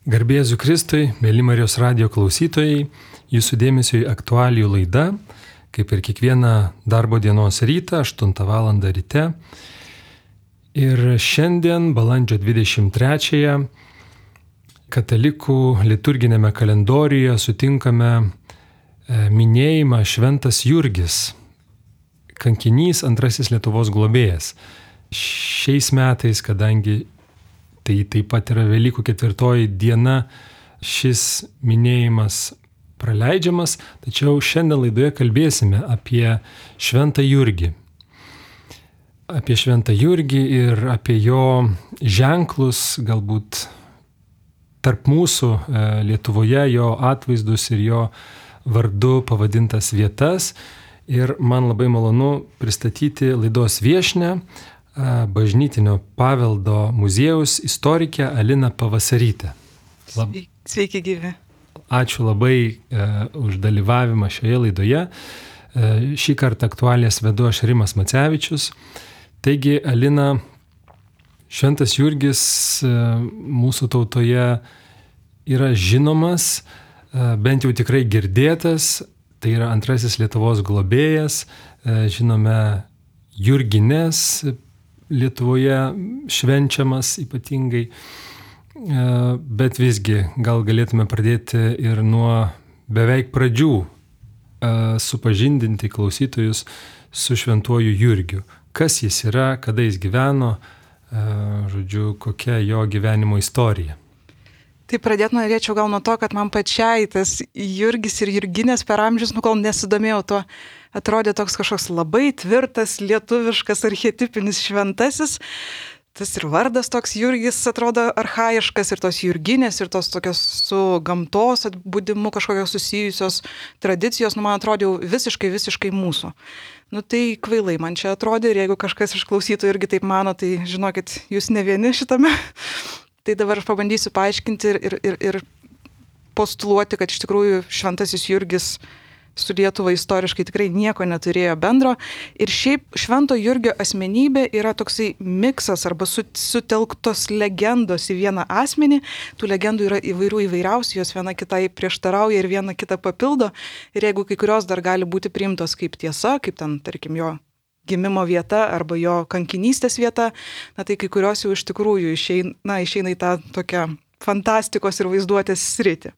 Garbė Jėzui Kristui, mėly Marijos radijo klausytojai, jūsų dėmesio į aktualijų laidą, kaip ir kiekvieną darbo dienos rytą, 8 val. Ryte. Ir šiandien, balandžio 23-ąją, katalikų liturginėme kalendoriuje sutinkame minėjimą Šventas Jurgis, kankinys, antrasis Lietuvos globėjas. Šiais metais, kadangi tai taip pat yra Velykų 4 diena, šis minėjimas praleidžiamas, tačiau šiandien laidoje kalbėsime apie Šventą Jurgį. Apie Šventą Jurgį ir apie jo ženklus, galbūt tarp mūsų Lietuvoje, jo atvaizdus ir jo vardu pavadintas vietas. Ir man labai malonu pristatyti laidos viešnią, Bažnytinio paveldo muziejaus istorikę Aliną Pavasarytę. Sveiki gyvi. Ačiū labai už dalyvavimą šioje laidoje. Šį kartą aktualijas vedu aš Rimas Macevičius. Taigi, Alina, Šventas Jurgis mūsų tautoje yra žinomas, bent jau tikrai girdėtas. Tai yra antrasis Lietuvos globėjas. Žinome Jurgines Lietuvoje švenčiamas ypatingai, bet visgi gal galėtume pradėti ir nuo beveik pradžių supažindinti klausytojus su Šventuoju Jurgiu. Kas jis yra, kada jis gyveno, kokia jo gyvenimo istorija. Tai pradėti norėčiau gal nuo to, kad man pačiai tas Jurgis ir Jurginės per amžius, kol nesidomėjau tuo, atrodė toks kažkoks labai tvirtas, lietuviškas, archetipinis šventasis. Tas ir vardas toks Jurgis atrodo archaiškas, ir tos Jurginės, ir tos tokios su gamtos atbudimu kažkokios susijusios tradicijos, man atrodė visiškai mūsų. Tai kvailai man čia atrodė, ir jeigu kažkas iš klausytojų irgi taip mano, tai žinokit, jūs ne vieni šitame. Tai dabar aš pabandysiu paaiškinti ir postuluoti, kad iš tikrųjų Šventasis Jurgis su Lietuva istoriškai tikrai nieko neturėjo bendro. Ir šiaip Švento Jurgio asmenybė yra toksai miksas arba sutelktos legendos į vieną asmenį. Tų legendų yra įvairiausių, jos viena kitai prieštarauja ir viena kitą papildo. Ir jeigu kai kurios dar gali būti priimtos kaip tiesa, kaip ten, tarkim, jo gimimo vieta arba jo kankinystės vieta, tai kai kurios jau iš tikrųjų išeina į tą tokią fantastikos ir vaizduotės sritį.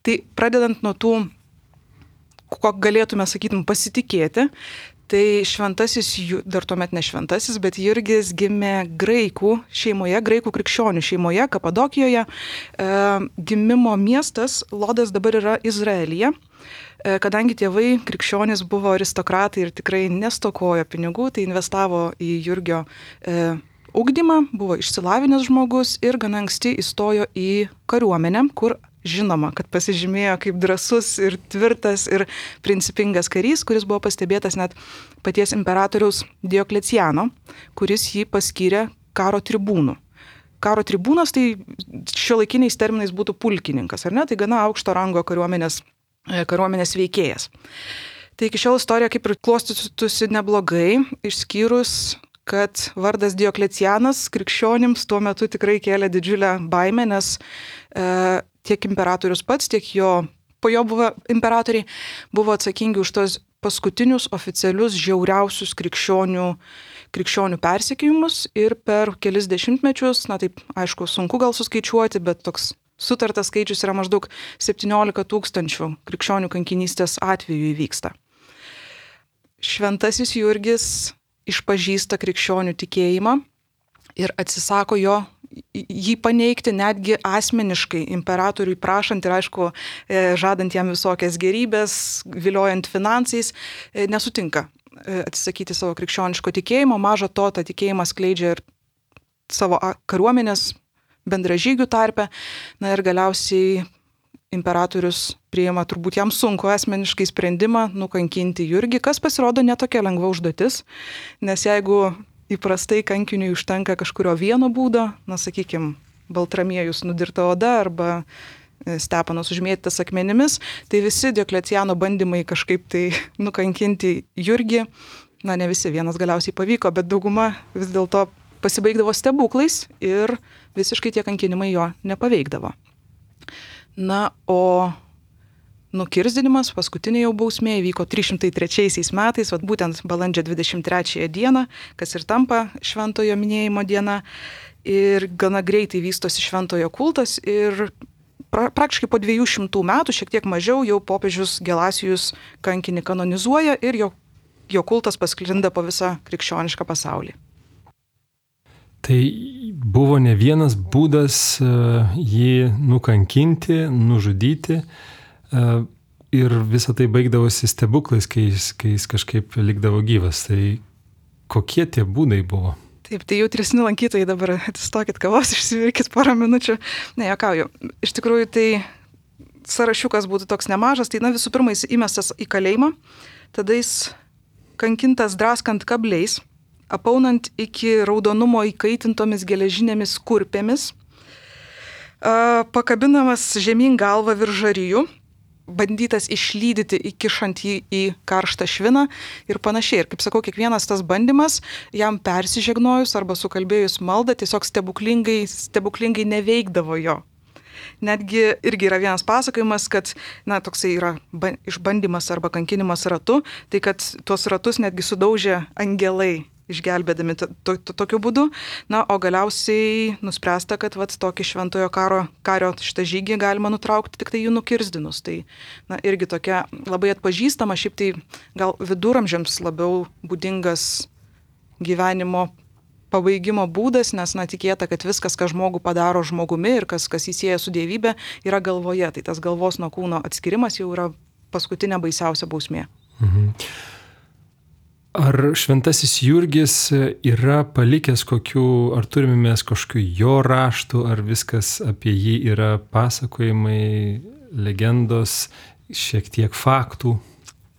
Tai pradedant nuo tų, ko galėtume, sakytum, pasitikėti, tai šventasis, dar tuomet ne šventasis, bet Jurgis gimė graikų šeimoje, graikų krikščionių šeimoje, Kapadokijoje. Gimimo miestas Lodas dabar yra Izraelyje. Kadangi tėvai krikščionys buvo aristokratai ir tikrai nestokojo pinigų, tai investavo į Jurgio ugdymą, buvo išsilavinęs žmogus ir gana anksti įstojo į kariuomenę, kur žinoma, kad pasižymėjo kaip drąsus ir tvirtas ir principingas karys, kuris buvo pastebėtas net paties imperatoriaus Diokleciano, kuris jį paskyrė karo tribūnu. Karo tribūnas tai šiuolaikiniais terminais būtų pulkininkas, ar ne? Tai gana aukšto rango kariuomenės veikėjas. Tai iki šiol istorija kaip ir klostytųsi neblogai, išskyrus, kad vardas Dioklecianas krikščionims tuo metu tikrai kėlė didžiulę baimę, nes tiek imperatorius pats, tiek po jo buvo imperatoriai, buvo atsakingi už tos paskutinius oficialius žiauriausius krikščionių persekiojimus ir per kelis dešimtmečius, taip aišku, sunku gal suskaičiuoti, bet toks sutartas skaičius yra maždaug 17 000 krikščionių kankinystės atvejų įvyksta. Šventasis Jurgis išpažįsta krikščionių tikėjimą ir atsisako jį paneigti netgi asmeniškai imperatoriui prašant ir aišku žadant jam visokias gerybės, viliojant finansais, nesutinka atsisakyti savo krikščioniško tikėjimo. Maža to, tą tikėjimą skleidžia ir savo kariuomenės bendražygių tarpe. Ir galiausiai imperatorius priima turbūt jam sunku asmeniškai sprendimą nukankinti Jurgį, kas pasirodo netokia lengva užduotis, nes jeigu įprastai kankiniui užtenka kažkurio vieno būdo, sakykime, Baltramiejus nudirta oda arba Stepanas užmėtytas akmenimis, tai visi Diokleciano bandymai kažkaip tai nukankinti Jurgį, ne visi, vienas galiausiai pavyko, bet dauguma vis dėlto pasibaigdavo stebuklais ir visiškai tie kankinimai jo nepaveikdavo. Na, o nukirzdinimas, paskutinė jau bausmė, įvyko 303 metais, būtent balandžio 23 dieną, kas ir tampa šventojo minėjimo diena. Ir gana greitai vystosi šventojo kultas ir praktiškai po 200 metų, šiek tiek mažiau, jau popiežius Gelasijus kankinį kanonizuoja ir jo kultas pasklinda po visą krikščionišką pasaulį. Tai buvo ne vienas būdas jį nukankinti, nužudyti ir visą tai baigdavosi stebuklais, kai jis kažkaip likdavo gyvas. Tai kokie tie būdai buvo? Taip, tai jautresni lankytojai dabar atsistokit kavos, išsivirkit porą minučių. Ne, juokauju. Iš tikrųjų, tai sąrašiukas būtų toks nemažas. Tai visų pirma, jis įmestas į kalėjimą, tada jis kankintas draskant kabliais, apaunant iki raudonumo įkaitintomis geležinėmis kurpėmis, pakabinamas žemyn galvą virš žarijų, bandytas išlydyti, įkišant jį į karštą šviną ir panašiai. Ir kaip sakau, kiekvienas tas bandymas jam persižegnojus arba sukalbėjus maldą tiesiog stebuklingai neveikdavo jo. Netgi irgi yra vienas pasakojimas, kad toksai yra išbandymas arba kankinimas ratu, tai kad tuos ratus netgi sudaužė angelai, išgelbėdami tokiu būdu. O galiausiai nuspręsta, kad tokį šventojo kario šitą žygį galima nutraukti tik tai jų nukirzdinus. Tai irgi tokia labai atpažįstama, šiaip tai gal viduramžiams labiau būdingas gyvenimo pabaigimo būdas, nes tikėta, kad viskas, ką žmogų padaro žmogumi ir kas jį sieja su dievybė, yra galvoje. Tai tas galvos nuo kūno atskirimas jau yra paskutinė baisiausia bausmė. Mhm. Ar šventasis Jurgis yra palikęs ar turime mes kažkokių jo raštų, ar viskas apie jį yra pasakojimai, legendos, šiek tiek faktų?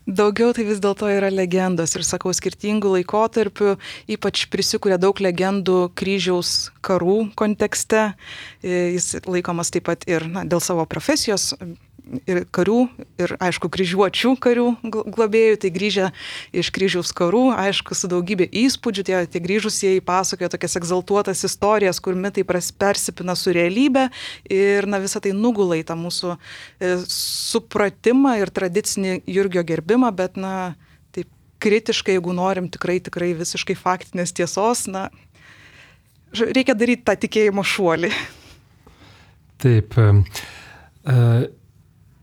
Daugiau tai vis dėlto yra legendos ir sakau, skirtingų laikotarpių, ypač prisikuria daug legendų kryžiaus karų kontekste. Jis laikomas taip pat ir dėl savo profesijos ir karių, ir aišku, kryžiuočių karių globėjų, tai grįžę iš kryžiaus karų, aišku, su daugybė įspūdžių, tie grįžusieji pasakoja tokias egzaltuotas istorijas, kur mitai persipina su realybė ir visą tai nugula į tą mūsų supratimą ir tradicinį Jurgio gerbimą, bet taip kritiškai, jeigu norim tikrai visiškai faktinės tiesos, reikia daryti tą tikėjimo šuolį. Taip.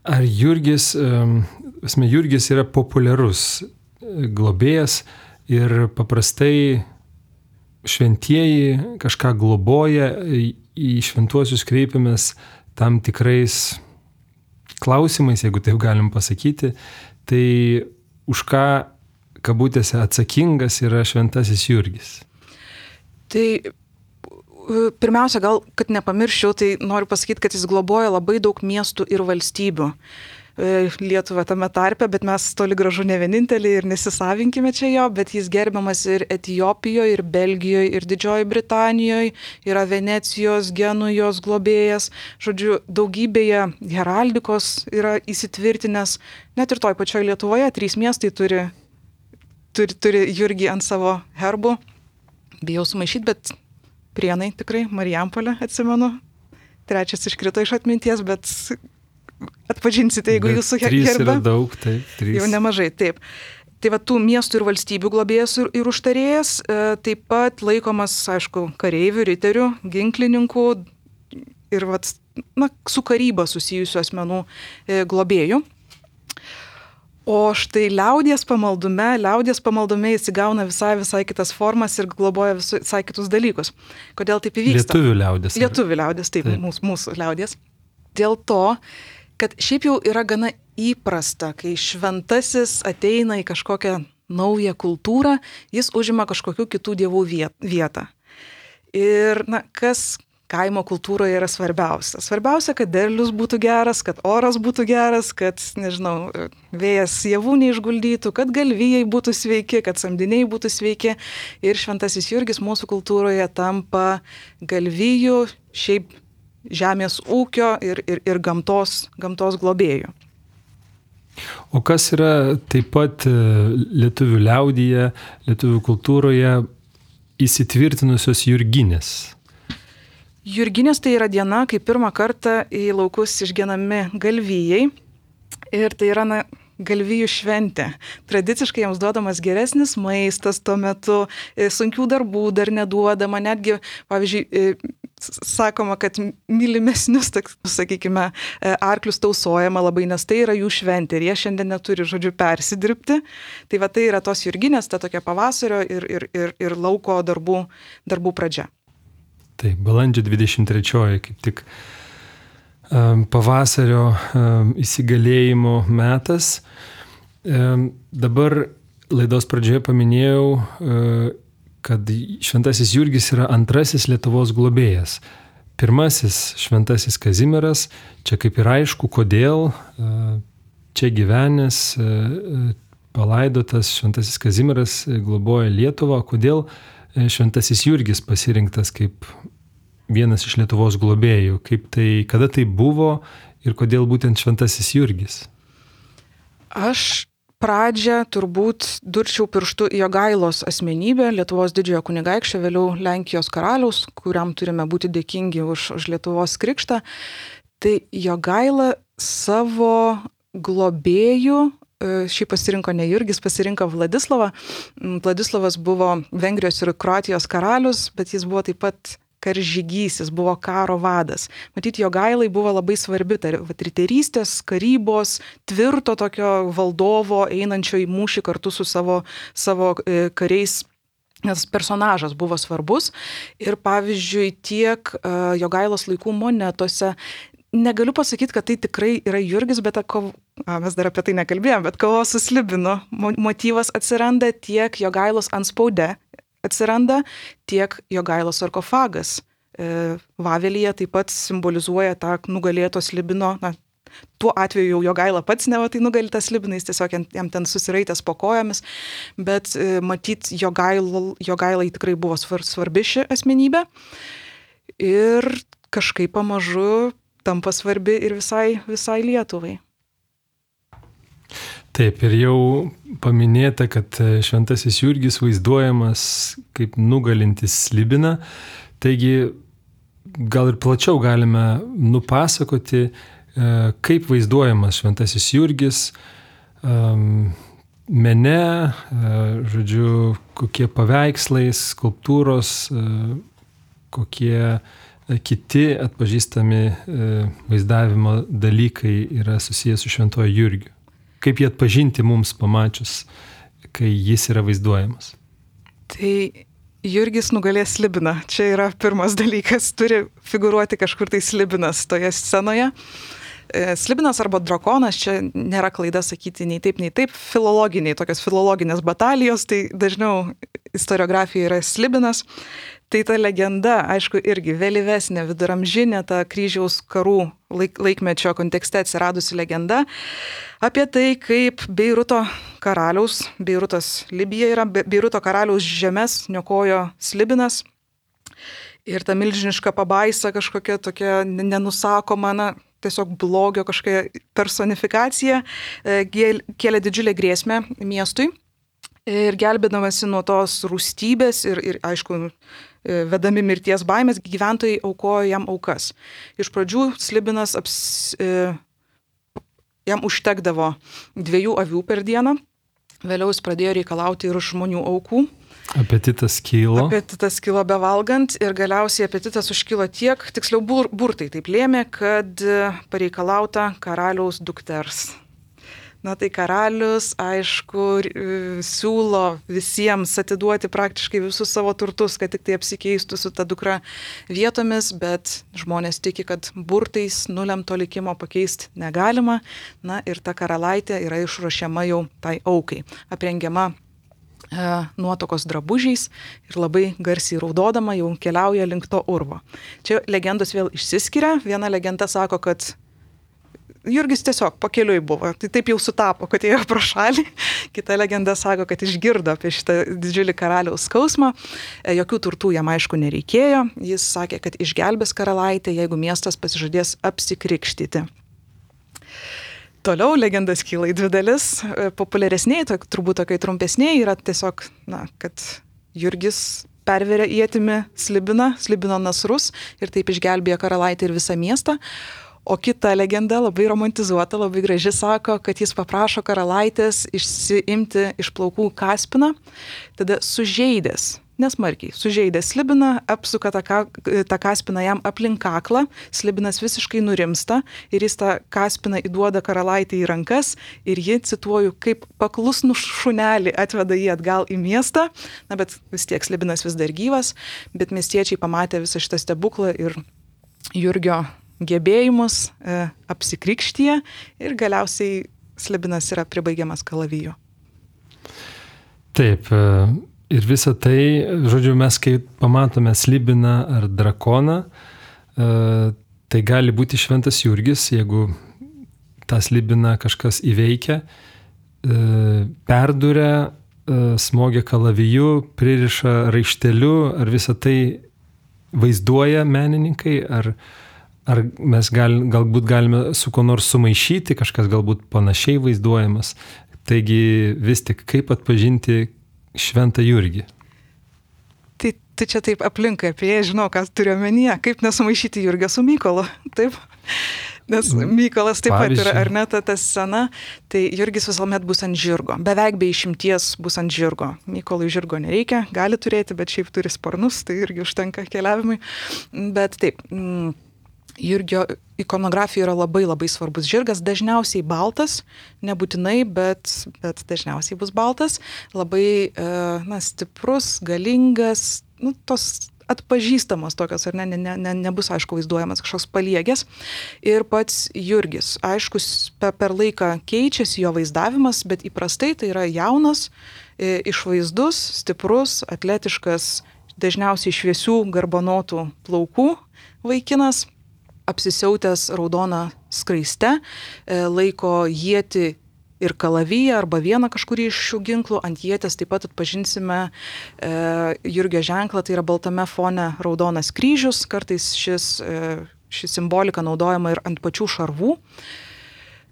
Ar Jurgis yra populiarus globėjas ir paprastai šventieji kažką globoja, į šventuosius kreipiamės tam tikrais klausimais, jeigu taip galim pasakyti, tai už ką kabutėse atsakingas yra šventasis Jurgis? Tai pirmiausia, gal, kad nepamirščiau, tai noriu pasakyti, kad jis globoja labai daug miestų ir valstybių. Lietuva tame tarpe, bet mes toli gražu ne vieninteliai ir nesisavinkime čia jo, bet jis gerbiamas ir Etijopijoje, ir Belgijoje, ir Didžiojoje Britanijoje, yra Venecijos, Genujos globėjas. Žodžiu, daugybėje heraldikos yra įsitvirtinęs, net ir toj pačioj Lietuvoje 3 miestai turi Jurgį ant savo herbų. Bijau sumaišyti, bet Prienai tikrai, Marijampolė, atsimenu. 3 iškrito iš atminties, bet atpažinsite, jeigu jūsų herbe. 3 yra daug, taip. 3. Jau nemažai, taip. Tai tų miestų ir valstybių globėjas ir užtarėjas, taip pat laikomas, aišku, kareivių, riterių, ginklininkų ir su karyba susijusių asmenų globėjų. O štai liaudies pamaldume jis įgauna visai kitas formas ir globoja visai kitus dalykus. Kodėl taip įvyksta? Lietuvių liaudies, taip. Mūsų liaudies. Dėl to, kad šiaip jau yra gana įprasta, kai šventasis ateina į kažkokią naują kultūrą, jis užima kažkokių kitų dievų vietą. Ir kas kaimo kultūroje yra svarbiausia. Svarbiausia, kad derlius būtų geras, kad oras būtų geras, kad, vėjas javų neišguldytų, kad galvijai būtų sveiki, kad samdiniai būtų sveiki. Ir šventasis Jurgis mūsų kultūroje tampa galvijų, šiaip žemės ūkio ir gamtos globėjų. O kas yra taip pat lietuvių liaudyje, lietuvių kultūroje įsitvirtinusios jurginės? Jurginės tai yra diena, kai pirmą kartą į laukus išgenami galvijai. Ir tai yra galvijų šventė. Tradiciškai jiems duodamas geresnis maistas tuo metu, sunkių darbų dar neduodama, netgi, pavyzdžiui, sakoma, kad mylimesnius, sakykime, arklius tausojama labai, nes tai yra jų šventė ir jie šiandien neturi, persidirbti. Tai va tai yra tos jurginės, ta tokia pavasario ir lauko darbų pradžia. Tai balandžio 23 kaip tik pavasario įsigalėjimo metas. Dabar laidos pradžioje paminėjau, kad šventasis Jurgis yra antrasis Lietuvos globėjas. Pirmasis šventasis Kazimieras, čia kaip ir aišku, kodėl čia gyvenęs, palaidotas šventasis Kazimieras globoja Lietuvą, kodėl šventasis Jurgis pasirinktas kaip vienas iš Lietuvos globėjų, kada tai buvo ir kodėl būtent šventasis Jurgis? Aš pradžią turbūt durčiau pirštu į Jogailos asmenybę, Lietuvos didžiojo kunigaikščio, vėliau Lenkijos karaliaus, kuriam turime būti dėkingi už Lietuvos krikštą. Tai Jogaila savo globėjų, šį pasirinko ne Jurgis, pasirinko Vladislavą. Vladislavas buvo Vengrijos ir Kroatijos karalius, bet jis buvo taip pat karžygys, jis buvo karo vadas. Matyt, Jogailai buvo labai svarbi riterystės, karybos, tvirto tokio valdovo, einančio į mūšį kartu su savo kariais, nes personažas buvo svarbus. Ir pavyzdžiui, tiek Jogailos laikų monetose, negaliu pasakyti, kad tai tikrai yra Jurgis, bet mes dar apie tai nekalbėjome, bet kovos su slibinu motyvas atsiranda, tiek Jogailos antspaude atsiranda, tiek Jogailos sarkofagas. Vavelyje taip pat simbolizuoja tą nugalėto slibino, tuo atveju jau Jogaila pats neva tai nugalėta slibinai, jis tiesiog jam ten susiraitęs po kojomis, bet matyt, Jogailai tikrai buvo svarbi ši asmenybė ir kažkaip pamažu tampa svarbi ir visai Lietuvai. Taip, ir jau paminėta, kad šventasis Jurgis vaizduojamas kaip nugalintis slibiną, taigi gal ir plačiau galime nupasakoti, kaip vaizduojamas šventasis Jurgis mene, kokie paveikslai, skulptūros, kokie kiti atpažįstami vaizdavimo dalykai yra susijęs su šventuoju Jurgiu. Kaip jį atpažinti mums pamačius, kai jis yra vaizduojamas? Tai Jurgis nugalės slibiną. Čia yra pirmas dalykas. Turi figūruoti kažkur tai slibinas toje scenoje. Slibinas arba drakonas, čia nėra klaida sakyti nei taip, tokios filologinės batalijos, tai dažniau istoriografija yra slibinas. Tai ta legenda, aišku, irgi vėlyvesnė, viduramžinė, ta kryžiaus karų laikmečio kontekste atsiradusi legenda apie tai, kaip Beiruto karaliaus, Beirutas Libija yra, Beiruto karaliaus žemes niokojo slibinas ir ta milžiniška pabaisa kažkokia tokia nenusakoma, tiesiog blogio kažkokia personifikacija kėlė didžiulę grėsmę miestui. Ir gelbėdamasi nuo tos rūstybės ir aišku, vedami mirties baimės, gyventojai aukojo jam aukas. Iš pradžių slibinas jam užtekdavo 2 avių per dieną, vėliau jis pradėjo reikalauti ir žmonių aukų. Apetitas kilo bevalgant ir galiausiai apetitas užkilo tiek, tiksliau burtai taip lėmė, kad pareikalauta karaliaus dukters. Tai karalius, aišku, siūlo visiems atiduoti praktiškai visus savo turtus, kad tik tai apsikeistų su ta dukra vietomis, bet žmonės tiki, kad burtais nulemto likimo pakeisti negalima. Ir ta karalaitė yra išruošiama jau tai aukai, aprengiama nuotokos drabužiais ir labai garsiai raudodama jau keliauja link to urvo. Čia legendos vėl išsiskiria. Viena legenda sako, kad Jurgis tiesiog pakeliui buvo, tai taip jau sutapo, kad ėjo pro šalį. Kita legenda sako, kad išgirdo apie šitą didžiulį karaliaus skausmą. Jokių turtų jam aišku nereikėjo. Jis sakė, kad išgelbės karalaitę, jeigu miestas pasižadės apsikrikštyti. Toliau legendas kyla į 2 dalis. Populiaresniai, turbūt tokiai trumpesniai yra tiesiog, kad Jurgis perveria ietimi Slibino nasrus ir taip išgelbėja karalaitę ir visą miestą. O kita legenda, labai romantizuota, labai graži, sako, kad jis paprašo karalaitės išsiimti iš plaukų kaspiną, tada sužeidęs, nesmarkiai, sužeidęs Slibiną, apsuka tą kaspiną jam aplink kaklą, Slibinas visiškai nurimsta ir jis tą kaspiną įduoda karalaitę į rankas ir ji, cituoju, kaip paklusnų šunelį atveda jį atgal į miestą, na bet vis tiek Slibinas vis dar gyvas, bet miestiečiai pamatė visą šitą stebuklą ir Jurgio gebėjimus apsikrikštyje ir galiausiai Slibinas yra pribaigiamas kalaviju. Taip, ir visą tai, žodžiu, mes kai pamatome Slibiną ar drakoną, tai gali būti šventas Jurgis, jeigu tą Slibiną kažkas įveikia, perduria, smogia kalaviju, pririša raišteliu, ar visą tai vaizduoja menininkai, ar mes galbūt galime su ko nors sumaišyti, kažkas galbūt panašiai vaizduojamas. Taigi vis tik kaip atpažinti šventą Jurgį? Tai čia taip aplinkai apie jį, žinau, ką turiu omenyje, kaip nesumaišyti Jurgio su Mykolu, taip? Nes Mykolas taip pat yra, ar ne, ta scena, tai Jurgis visuomet bus ant žirgo, beveik be išimties bus ant žirgo. Mykolui žirgo nereikia, gali turėti, bet šiaip turi sparnus, tai irgi užtenka keliavimui. Bet taip, Jurgio ikonografijoje yra labai labai svarbus žirgas, dažniausiai baltas, nebūtinai, bet dažniausiai bus baltas, labai stiprus, galingas, tos atpažįstamos tokios, ar nebus, aišku, vaizduojamas kažkoks paliegęs. Ir pats Jurgis, aišku, per laiką keičiasi jo vaizdavimas, bet įprastai tai yra jaunas, išvaizdus, stiprus, atletiškas, dažniausiai šviesių garbanotų plaukų vaikinas, apsisiautęs raudoną skraiste, laiko ietį ir kalaviją arba vieną kažkurį iš šių ginklų. Ant ietės taip pat atpažinsime Jurgio ženklą, tai yra baltame fone raudonas kryžius, kartais ši simbolika naudojama ir ant pačių šarvų.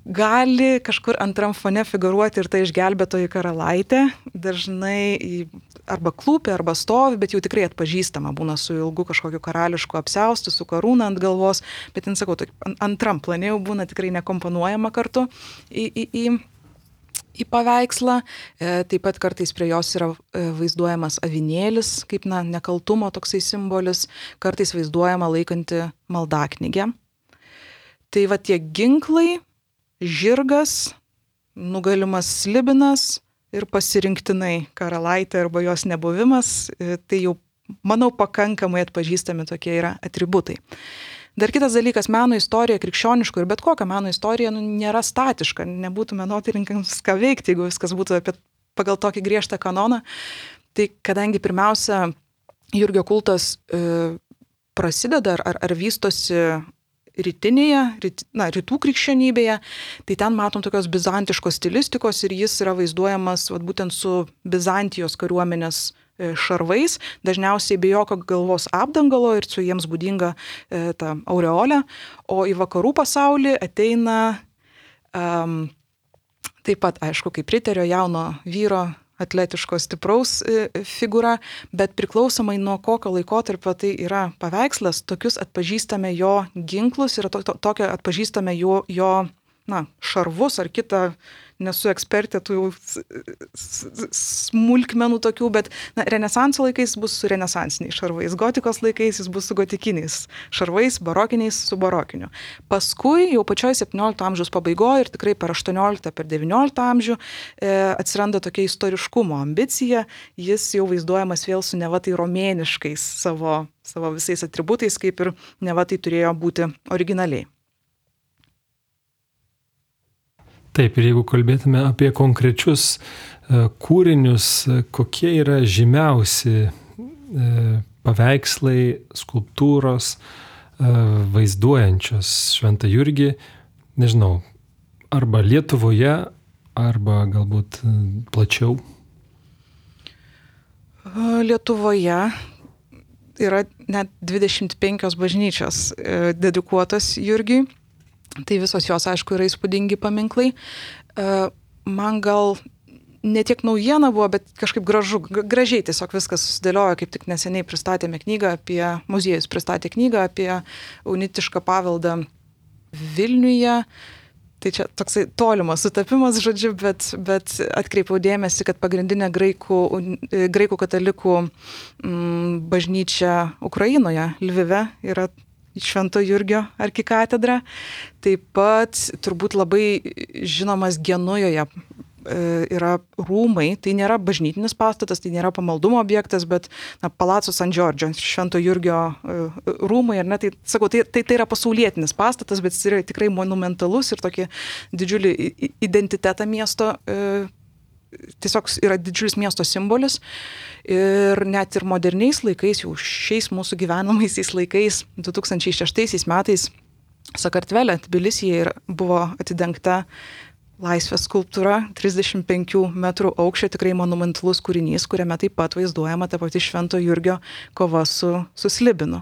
Gali kažkur antram fone figūruoti ir ta išgelbėtoji karalaitė, dažnai arba klūpia, arba stovi, bet jau tikrai atpažįstama, būna su ilgu kažkokiu karališku apsiaustu, su karūna ant galvos, bet, sakau, antram plane jau būna tikrai nekomponuojama kartu į paveikslą. Taip pat kartais prie jos yra vaizduojamas avinėlis, kaip nekaltumo toksai simbolis, kartais vaizduojama laikanti maldaknygę. Tai va tie ginklai, žirgas, nugalimas Slibinas ir pasirinktinai karalaitė arba jos nebuvimas, tai jau, manau, pakankamai atpažįstami tokie yra atributai. Dar kitas dalykas, meno istorija, krikščioniško ir bet kokia meno istorija nėra statiška, nebūtų menotyrininkams ką veikti, jeigu viskas būtų pagal tokį griežtą kanoną. Tai kadangi pirmiausia Jurgio kultas prasideda ar vystosi rytų krikščionybėje, tai ten matom tokios bizantiškos stilistikos ir jis yra vaizduojamas būtent su Bizantijos kariuomenės šarvais, dažniausiai be jokio galvos apdangalo ir su jiems būdinga ta aureolė, o į vakarų pasaulį ateina taip pat, aišku, kaip riterio jauno vyro, atletiško stipraus figūra, bet priklausomai nuo kokio laikotarpio tai yra paveikslas, tokius atpažįstame jo ginklus ir tokio atpažįstame jo šarvus ar kitą, nesu ekspertė tų smulkmenų tokių, bet renesanso laikais bus su renesansiniais šarvais, gotikos laikais jis bus su gotikiniais šarvais, barokiniais su barokiniu. Paskui jau pačioj 17 amžiaus pabaigoje ir tikrai per 18, per 19 amžių atsiranda tokia istoriškumo ambicija, jis jau vaizduojamas vėl su neva tai romėniškais savo visais atributais, kaip ir neva tai turėjo būti originaliai. Taip, ir jeigu kalbėtume apie konkrečius kūrinius, kokie yra žymiausi paveikslai, skulptūros vaizduojančios šventą Jurgį, nežinau, arba Lietuvoje, arba galbūt plačiau? Lietuvoje yra net 25 bažnyčios dedikuotos Jurgiui. Tai visos jos, aišku, yra įspūdingi paminklai. Man gal ne tiek naujiena buvo, bet kažkaip gražiai tiesiog viskas susidėliojo, kaip tik neseniai pristatėme knygą muziejus pristatė knygą apie unitišką paveldą Vilniuje. Tai čia toksai tolimas sutapimas, žodžiu, bet atkreipiau dėmesį, kad pagrindinė graikų katalikų bažnyčia Ukrainoje, Lvive, yra Švento Jurgio arkikatedra. Taip pat turbūt labai žinomas Genujoje yra rūmai, tai nėra bažnytinis pastatas, tai nėra pamaldumo objektas, bet Palazzo San Giorgio, Švento Jurgio rūmai, ar ne, tai sakau, tai yra pasaulietinis pastatas, bet jis yra tikrai monumentalus ir tokį didžiulį identitetą miesto, tiesiog yra didžiulis miesto simbolis ir net ir moderniais laikais, jau šiais mūsų gyvenamaisiais laikais, 2006 metais Sakartvele, Tbilisyje buvo atidengta Laisvės skulptūra, 35 metrų aukščio, tikrai monumentalus kūrinys, kuriame taip pat vaizduojama ta pati Švento Jurgio kova su Slibinu.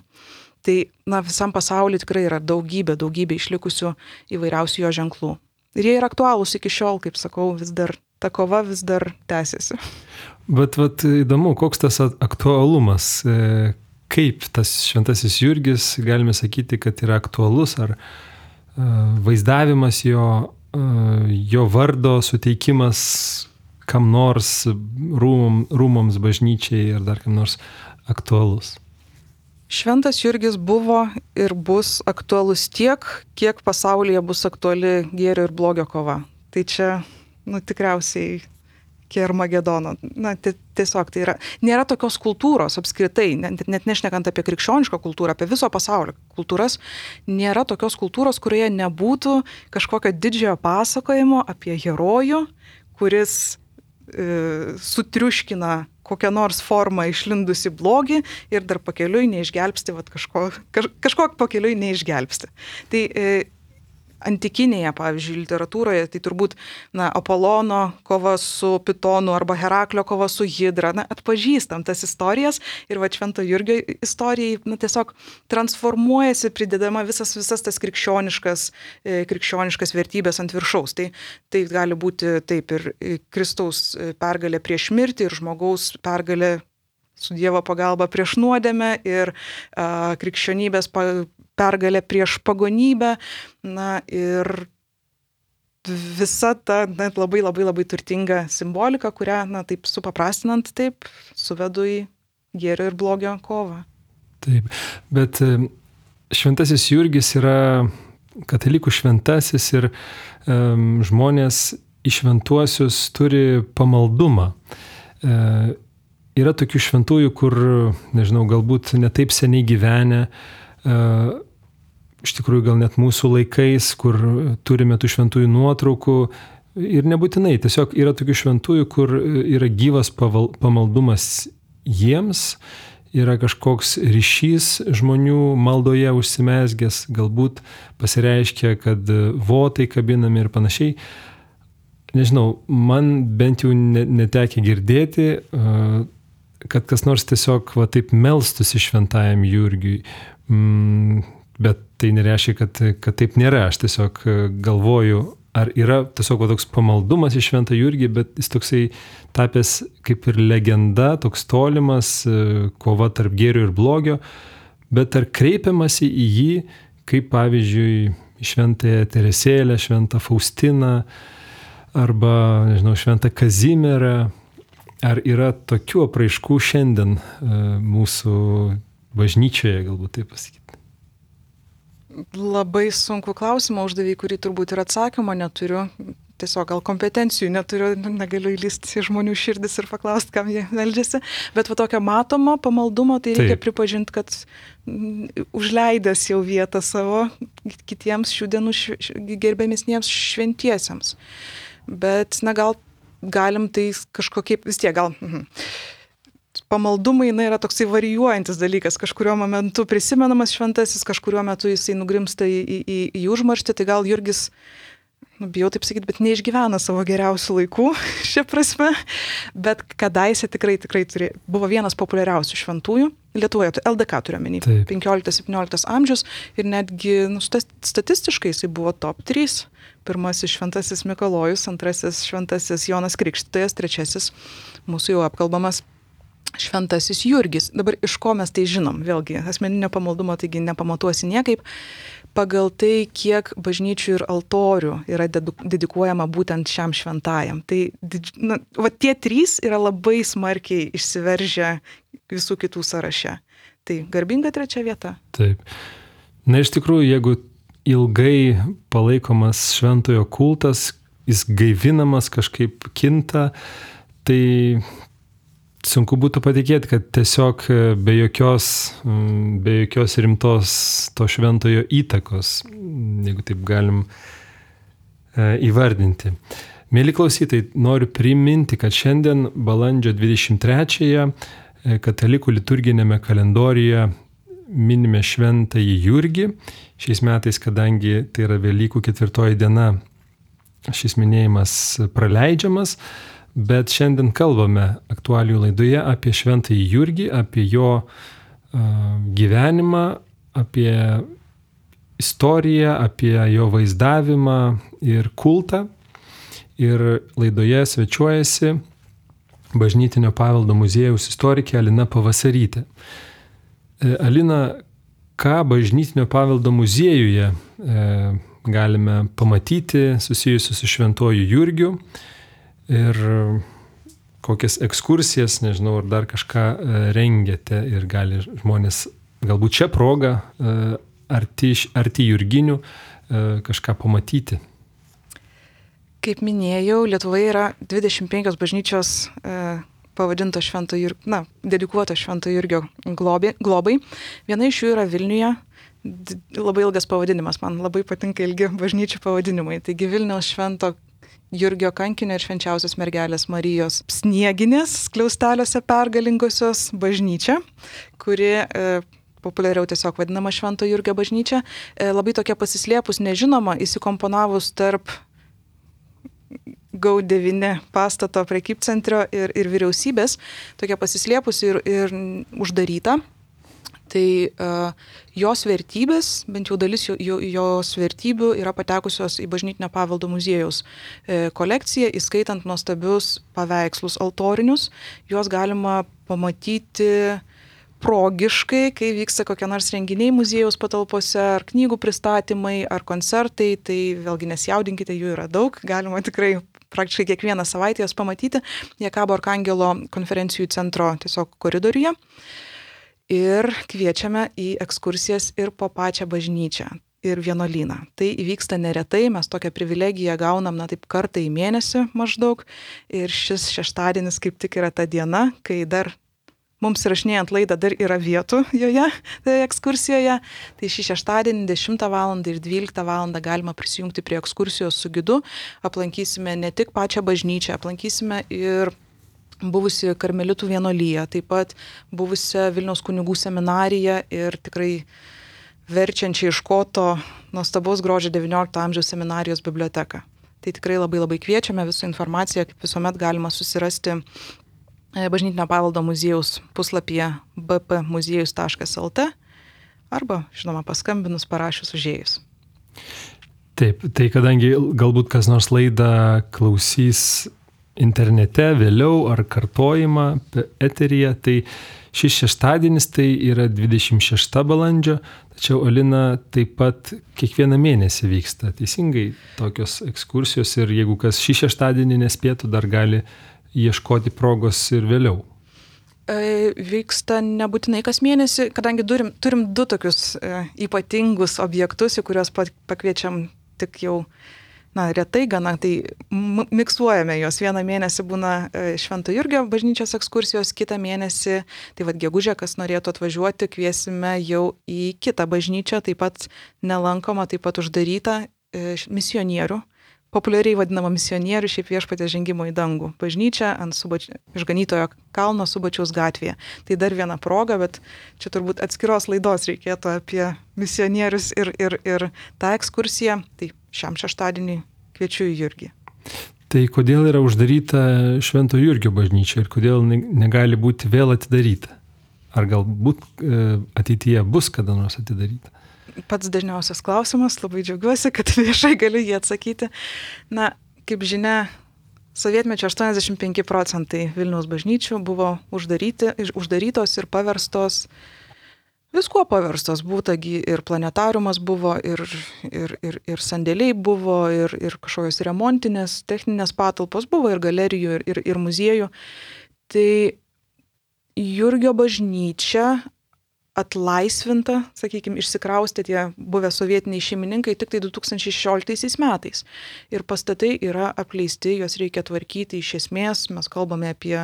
Tai visam pasauliu tikrai yra daugybė išlikusių įvairiausių jo ženklų. Ir jie yra aktualūs iki šiol, kaip sakau, ta kova vis dar tęsiasi. Bet įdomu, koks tas aktualumas, kaip tas Šventasis Jurgis, galime sakyti, kad yra aktualus, ar vaizdavimas jo vardo suteikimas kam nors rūmoms, bažnyčiai ar dar kam nors aktualus. Šventas Jurgis buvo ir bus aktualus tiek, kiek pasaulyje bus aktuali gėrio ir blogio kova. Tai čia, tikriausiai iki Armagedono. Tiesiog tai yra. Nėra tokios kultūros apskritai, net nešnekant apie krikščionišką kultūrą, apie viso pasaulio kultūras, nėra tokios kultūros, kurioje nebūtų kažkokio didžiojo pasakojimo apie herojų, kuris sutriuškina kokią nors formą išlindusi blogį ir dar pakeliui neišgelbsti, kažko pakeliui neišgelbsti. Tai antikinėje, pavyzdžiui, literatūroje, tai turbūt Apolono kova su Pitonu arba Heraklio kova su Hidra, atpažįstam tas istorijas ir Švento Jurgio istorijai tiesiog transformuojasi, pridedama visas tas krikščioniškas vertybės ant viršaus. Tai gali būti taip ir Kristaus pergalė prieš mirtį ir žmogaus pergalė su Dievo pagalba prieš nuodėmę ir krikščionybės pergalė prieš pagonybę, ir visa ta labai turtinga simbolika, kurią, taip supaprastinant, suvedu į gėrio ir blogio kovą. Taip, bet Šventasis Jurgis yra katalikų šventasis ir žmonės į šventuosius turi pamaldumą. Yra tokių šventųjų, kur, nežinau, galbūt netaip seniai gyvenę, iš tikrųjų gal net mūsų laikais, kur turime tų šventųjų nuotraukų ir nebūtinai, tiesiog yra tokių šventųjų, kur yra gyvas pamaldumas jiems, yra kažkoks ryšys žmonių maldoje užsimezgęs, galbūt pasireiškia, kad votai kabinami ir panašiai. Nežinau, man bent jau netekia girdėti, kad kas nors tiesiog taip melstųsi šventajam Jurgiui. Bet tai nereiškia, kad taip nėra. Aš tiesiog galvoju, ar yra tiesiog toks pamaldumas į Šventą Jurgį, bet jis toksai tapęs kaip ir legenda, toks tolimas, kova tarp gėrio ir blogio, bet ar kreipiamasi į jį, kaip pavyzdžiui, Šventąją Teresėlę, Šventą Faustiną, arba, nežinau, Šventą Kazimierą. Ar yra tokių apraiškų šiandien mūsų bažnyčioje, galbūt taip pasakyti? Labai sunku klausimą uždavė, kurį turbūt ir atsakymo neturiu. Tiesiog gal kompetencijų neturiu, negaliu įlysti į žmonių širdis ir paklausti, kam jie meldžiasi. Bet tokio matomo pamaldumo, tai reikia pripažinti, kad užleidęs jau vietą savo kitiems šių dienų gerbėmesniems šventiesiems. Bet gal galim tai kažkokiai vis tiek gal... Pamaldumai yra toksai varijuojantis dalykas, kažkurio momentu prisimenamas šventasis, kažkurio metu jisai nugrimsta į užmarštį, tai gal Jurgis, bijau taip sakyti, bet neišgyvena savo geriausių laikų šia prasme, bet kadaise tikrai buvo vienas populiariausių šventųjų. Lietuvoje, LDK turiuomenį, 15-17 amžius ir netgi statistiškai jisai buvo top 3. Pirmasis Šventasis Mikalojus, antrasis Šventasis Jonas Krikštytojas, trečiasis mūsų jau apkalbamas Šventasis Jurgis. Dabar iš ko mes tai žinom? Vėlgi, asmeninio pamaldumo taigi nepamatuosi niekaip. Pagal tai, kiek bažnyčių ir altorių yra dedikuojama būtent šiam šventajam. Tai tie 3 yra labai smarkiai išsiveržę visų kitų sąraše. Tai garbinga 3 vieta. Taip. Na iš tikrųjų, jeigu ilgai palaikomas šventojo kultas, jis gaivinamas, kažkaip kinta, tai sunku būtų patikėti, kad tiesiog be jokios rimtos to šventojo įtakos, jeigu taip galim įvardinti. Mėly klausytojai, noriu priminti, kad šiandien balandžio 23-ąją katalikų liturginėme kalendoriuje minime Šventąjį Jurgį. Šiais metais, kadangi tai yra Velykų 4 diena, šis minėjimas praleidžiamas, bet šiandien kalbame aktualijų laidoje apie Šventąjį Jurgį, apie jo gyvenimą, apie istoriją, apie jo vaizdavimą ir kultą. Ir laidoje svečiuojasi Bažnytinio paveldo muziejaus istorikė Alina Pavasarytė. Alina, ką Bažnytinio paveldo muziejuje galime pamatyti susijusiu su Šventuoju Jurgiu ir kokias ekskursijas, nežinau, ar dar kažką rengiate ir gali žmonės galbūt šią progą arti Jurginių kažką pamatyti. Kaip minėjau, Lietuvoje yra 25 bažnyčios pavadinto dedikuoto Švento Jurgio globai. Viena iš jų yra Vilniuje. Labai ilgas pavadinimas, man labai patinka ilgi bažnyčių pavadinimai. Taigi Vilniaus Švento Jurgio kankinio ir Švenčiausios mergelės Marijos Snieginės skliausteliuose pergalingosios bažnyčia, kuri populiariau tiesiog vadinama Švento Jurgio bažnyčia. Labai tokia pasislėpus, nežinoma, įsikomponavus tarp GAU9 pastato prekybcentrio ir vyriausybės, tokia pasislėpusi ir uždaryta. Tai jos vertybės, bent jau dalis jos vertybių yra patekusios į Bažnytinio paveldo muziejaus kolekciją, įskaitant nuostabius paveikslus altorinius. Juos galima pamatyti progiškai, kai vyksta kokie nors renginiai muziejaus patalpose, ar knygų pristatymai, ar koncertai, tai vėlgi nesijaudinkite, jų yra daug, galima tikrai praktiškai kiekvieną savaitę jas pamatyti. Jie kabo Arkangelo konferencijų centro tiesiog koridoriuje. Ir kviečiame į ekskursijas ir po pačią bažnyčią ir vienuolyną. Tai įvyksta neretai, mes tokią privilegiją gaunam, taip kartą į mėnesį maždaug. Ir šis šeštadienis kaip tik yra ta diena, kai dar mums įrašinėjant laidą dar yra vietų joje, ekskursijoje. Tai šį šeštadienį 10 val. Ir 12 val. Galima prisijungti prie ekskursijos su gidu. Aplankysime ne tik pačią bažnyčią, aplankysime ir buvusi karmelitų vienuolyje, taip pat buvusią Vilniaus kunigų seminariją ir tikrai verčiančią iš koto nuostabaus grožio 19 amžiaus seminarijos biblioteką. Tai tikrai labai labai kviečiame, visą informaciją, kaip visuomet galima susirasti Bažnytinio paveldo muziejaus puslapyje bpmuziejus.lt arba, žinoma, paskambinus, parašius, užėjus. Taip, tai kadangi galbūt kas nors laidą klausys internete vėliau ar kartojimą eteryje, tai šis šeštadienis tai yra 26 balandžio, tačiau Alina taip pat kiekvieną mėnesį vyksta. Teisingai tokios ekskursijos ir jeigu kas šį šeštadienį nespėtų, dar gali ieškoti progos ir vėliau. Vyksta nebūtinai kas mėnesį, kadangi turim 2 tokius ypatingus objektus, į kuriuos pakviečiam tik jau retai gana, tai miksuojame juos. Vieną mėnesį būna Švento Jurgio bažnyčios ekskursijos, kitą mėnesį, tai gegužę, kas norėtų atvažiuoti, kviesime jau į kitą bažnyčią, taip pat nelankoma, taip pat uždarytą misionierių. Populiariai vadinama misionierių, šiaip Viešpaties žengimo į dangų bažnyčia ant Išganytojo kalno Subačiaus gatvėje. Tai dar viena proga, bet čia turbūt atskiros laidos reikėtų apie misionierius ir tą ekskursiją. Tai šiam šeštadienį kviečiu į Jurgį. Tai kodėl yra uždaryta Švento Jurgio bažnyčia ir kodėl negali būti vėl atidaryta? ar galbūt ateityje bus kada nors atidaryta? Pats dažniausias klausimas, labai džiaugiuosi, kad viešai galiu jį atsakyti. Na, kaip žinia, sovietmečio 85% Vilniaus bažnyčių buvo uždarytos ir paverstos, viskuo paverstos, būtagi ir planetariumas buvo, ir sandėliai buvo, ir kažkokios remontinės, techninės patalpos buvo, ir galerijų, ir muziejų. Tai Jurgio bažnyčia atlaisvinta, sakykime, išsikraustė tie buvę sovietiniai šeimininkai tik tai 2016 metais. Ir pastatai yra apleisti, juos reikia tvarkyti iš esmės. Mes kalbame apie,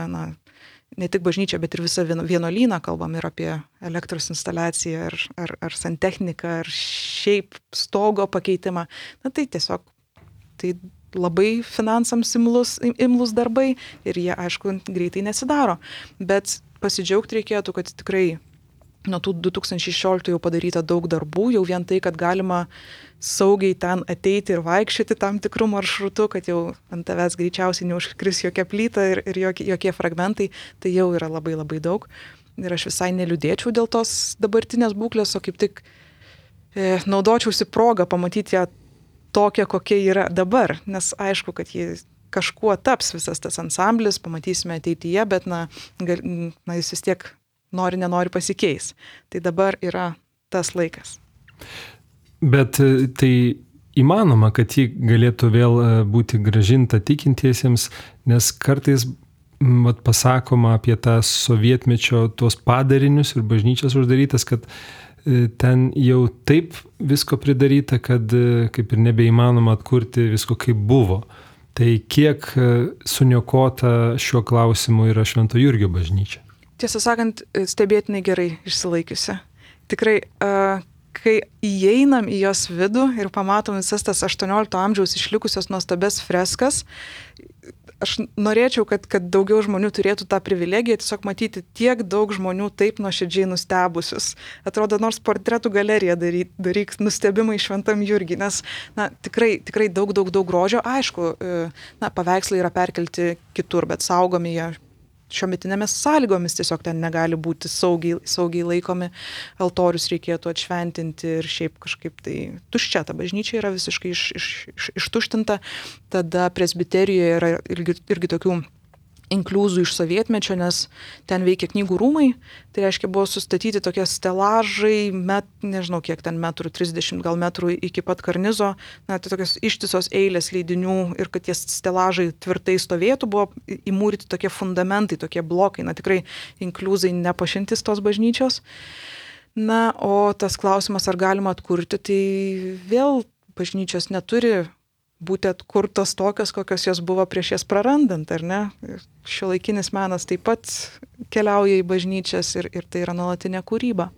ne tik bažnyčią, bet ir visą vienuolyną, kalbame ir apie elektros instaliaciją, ar santechniką, ar šiaip stogo pakeitimą. Tai tiesiog tai labai finansams imlus darbai ir jie, aišku, greitai nesidaro. Bet pasidžiaugti reikėtų, kad tikrai nuo tų 2016 jau padaryta daug darbų, jau vien tai, kad galima saugiai ten ateiti ir vaikščioti tam tikrų maršrutų, kad jau ant tavęs greičiausiai neužkris jokia plyta ir jokie fragmentai, tai jau yra labai labai daug. Ir aš visai neliūdėčiau dėl tos dabartinės būklės, o kaip tik naudočiausi progą pamatyti ją tokią, kokia yra dabar, nes aišku, kad ji kažkuo taps visas tas ansamblis, pamatysime ateityje, bet jis vis tiek nenori pasikeis. Tai dabar yra tas laikas. Bet tai įmanoma, kad ji galėtų vėl būti grąžinta tikintiesiems, nes kartais pasakoma apie tą sovietmečio tuos padarinius ir bažnyčias uždarytas, kad ten jau taip visko pridaryta, kad kaip ir nebeįmanoma atkurti visko kaip buvo. Tai kiek suniokota šiuo klausimu yra Švento Jurgio bažnyčia? Tiesą sakant, stebėtinai gerai išsilaikiusi. Tikrai, kai įeinam į jos vidų ir pamatom visas tas 18 amžiaus išlikusios nuostabes freskas, aš norėčiau, kad daugiau žmonių turėtų tą privilegiją tiesiog matyti tiek daug žmonių taip nuoširdžiai nustebusius. Atrodo, nors portretų galeriją daryk nustebimai Šventam Jurgiui, nes tikrai daug grožio. Aišku, paveikslai yra perkelti kitur, bet saugomi jie šiometinėmis sąlygomis, tiesiog ten negali būti saugiai laikomi, altorius reikėtų atšventinti ir šiaip kažkaip tai tuščia, ta bažnyčia yra visiškai ištuštinta, tada presbiterijoje yra irgi tokių inkliuzų iš sovietmečio, nes ten veikia knygų rūmai, tai reiškia buvo sustatyti tokie stelažai, nežinau kiek ten metrų, 30 gal metrų iki pat karnizo, tai tokios ištisos eilės leidinių ir kad tie stelažai tvirtai stovėtų, buvo įmūryti tokie fundamentai, tokie blokai, tikrai inkliuzai nepašintis tos bažnyčios. O tas klausimas, ar galima atkurti, tai vėl bažnyčios neturi būti atkurtos tokios, kokios jos buvo prieš jas prarandant, ar ne? Šiuolaikinis menas taip pat keliauja į bažnyčias ir tai yra nuolatinė kūryba.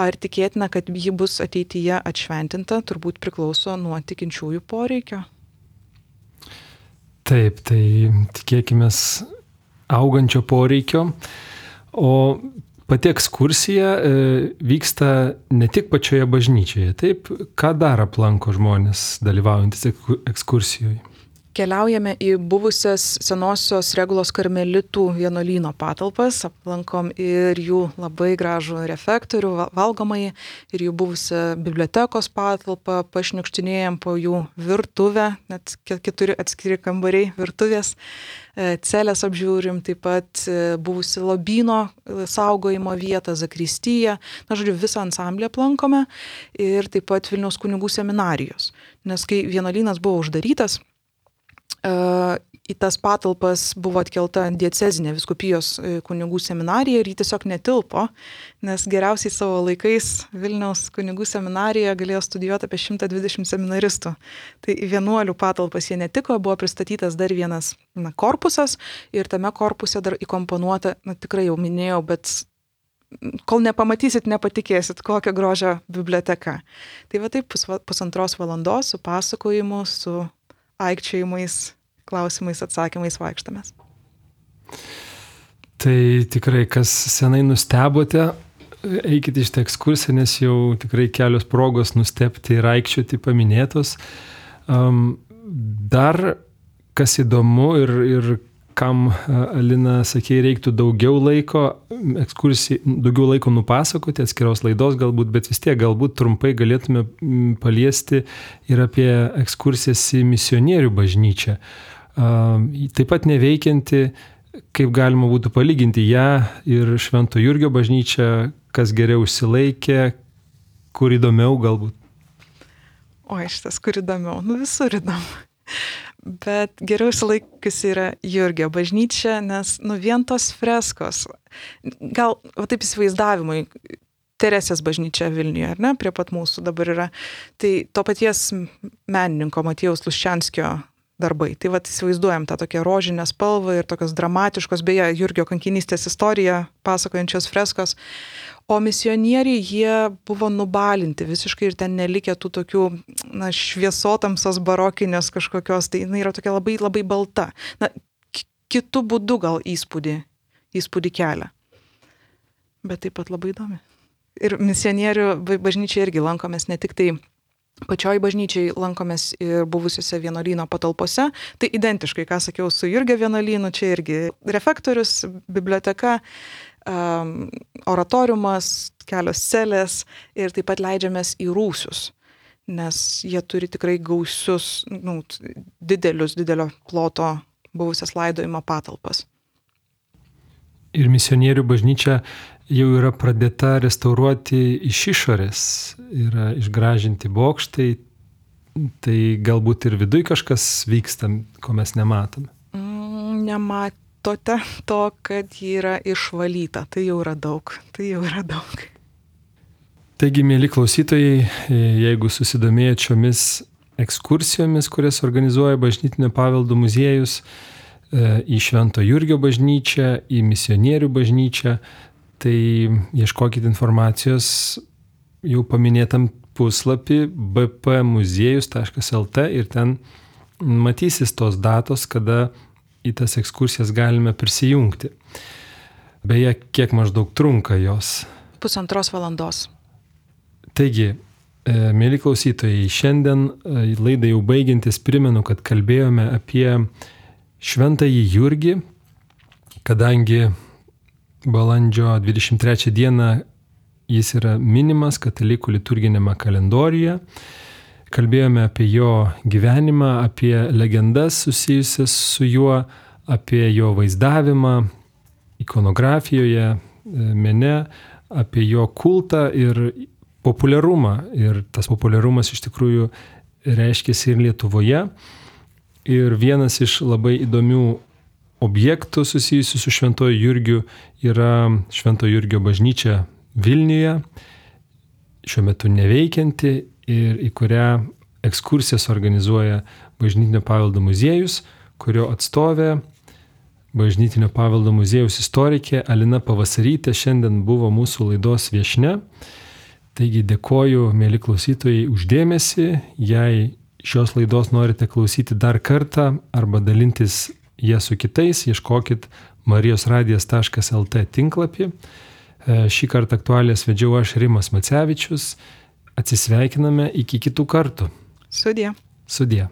Ar tikėtina, kad ji bus ateityje atšventinta, turbūt priklauso nuo tikinčiųjų poreikio. Taip, tai tikėkime augančio poreikio, o pati ekskursija vyksta ne tik pačioje bažnyčioje. Taip, ką dar aplanko žmonės dalyvaujantis ekskursijoje? Keliaujame į buvusias senosios Regulos karmelitų vienuolyno patalpas, aplankom ir jų labai gražų refektorių, valgomąjį, ir jų buvusią bibliotekos patalpą, pašniukštinėjom po jų virtuvę, net 4 atskiri kambariai virtuvės, celės apžiūrim, taip pat buvusi lobyno saugojimo vietą, zakristiją, visą ansamblį aplankome ir taip pat Vilniaus kunigų seminarijos. Nes kai vienuolynas buvo uždarytas, į tas patalpas buvo atkelta diecezinė vyskupijos kunigų seminarija ir ji tiesiog netilpo, nes geriausiai savo laikais Vilniaus kunigų seminarijoje galėjo studijuoti apie 120 seminaristų. Tai į vienuolių patalpas jie netiko, buvo pristatytas dar vienas korpusas ir tame korpuse dar įkomponuota, tikrai jau minėjau, bet kol nepamatysit, nepatikėsit, kokią grožią biblioteka. Tai va taip 1,5 valandos su pasakojimu, su aikčiojimais, klausimais, atsakymais vaikštamės. Tai tikrai, kas senai nustebote, eikite iš tą ekskursiją, nes jau tikrai kelios progos nustebti ir aikčioti paminėtos. Dar kas įdomu ir kam, Alina, sakė, reiktų daugiau laiko nupasakoti, atskiros laidos galbūt, bet vis tiek galbūt trumpai galėtume paliesti ir apie ekskursijas į misionierių bažnyčią. Taip pat neveikianti, kaip galima būtų palyginti ją ir Švento Jurgio bažnyčią, kas geriau išsilaikė, kur įdomiau galbūt. Oi, šitas kur įdomiau, visur įdomu. Bet geriau išsilaikiusi yra Jurgio bažnyčia, nes vien tos freskos, gal taip įsivaizdavimui, Teresės bažnyčia Vilniuje, ar ne, prie pat mūsų dabar yra, tai to paties menininko Matiejaus Luščianskio darbai. Tai įsivaizduojam tą tokią rožinę spalvą ir tokios dramatiškos, beje, Jurgio kankinystės istoriją pasakojančios freskos. O misionieriai, jie buvo nubalinti visiškai ir ten nelikė tų tokių šviesotamsos barokinės kažkokios, tai jinai yra tokia labai, labai balta. Kitu būdu gal įspūdį kelia. Bet taip pat labai įdomi. Ir misionierių bažnyčiai irgi lankomės ne tik tai pačioj bažnyčiai, lankomės ir buvusiuose vienuolyno patalpose. Tai identiškai, ką sakiau su Jurgio vienuolynu, čia irgi refektorius, biblioteka, oratoriumas, kelios celės ir taip pat leidžiamės į rūsius, nes jie turi tikrai gausius, didelio ploto buvusias laidojimo patalpas. Ir misionierių bažnyčia jau yra pradėta restauruoti iš išorės, yra išgražinti bokštai, tai galbūt ir viduj kažkas vyksta, ko mes nematome. Nematote to, kad ji yra išvalyta, tai jau yra daug. Taigi, mėly klausytojai, jeigu susidomėjot šiomis ekskursijomis, kurias organizuoja Bažnytinio paveldo muziejus, į Švento Jurgio bažnyčią, į misionierių bažnyčią, tai ieškokit informacijos jau paminėtam puslapį bpmuziejus.lt ir ten matysis tos datos, kada į tas ekskursijas galime prisijungti. Beje, kiek maždaug trunka jos? 1,5 valandos. Taigi, mėly klausytojai, šiandien laidai jau baigiantis primenu, kad kalbėjome apie Šventąjį Jurgį, kadangi balandžio 23 dieną jis yra minimas katalikų liturginėme kalendoriuje. Kalbėjome apie jo gyvenimą, apie legendas susijusias su juo, apie jo vaizdavimą ikonografijoje, mene, apie jo kultą ir populiarumą. Ir tas populiarumas iš tikrųjų reiškėsi ir Lietuvoje. Ir vienas iš labai įdomių objektų susijusių su Šventojo Jurgiu yra Švento Jurgio bažnyčia Vilniuje, šiuo metu neveikianti ir į kurią ekskursijas organizuoja Bažnytinio paveldo muziejus, kurio atstovė Bažnytinio paveldo muziejaus istorikė Alina Pavasarytė šiandien buvo mūsų laidos viešnia. Taigi dėkoju, mėly klausytojai, už dėmesį. Jei šios laidos norite klausyti dar kartą arba dalintis ją su kitais, ieškokit marijosradijas.lt tinklapį. Šį kartą aktualijas vedžiau aš, Rimas Macevičius. Atsisveikiname iki kitų kartų. Sudie. Sudie.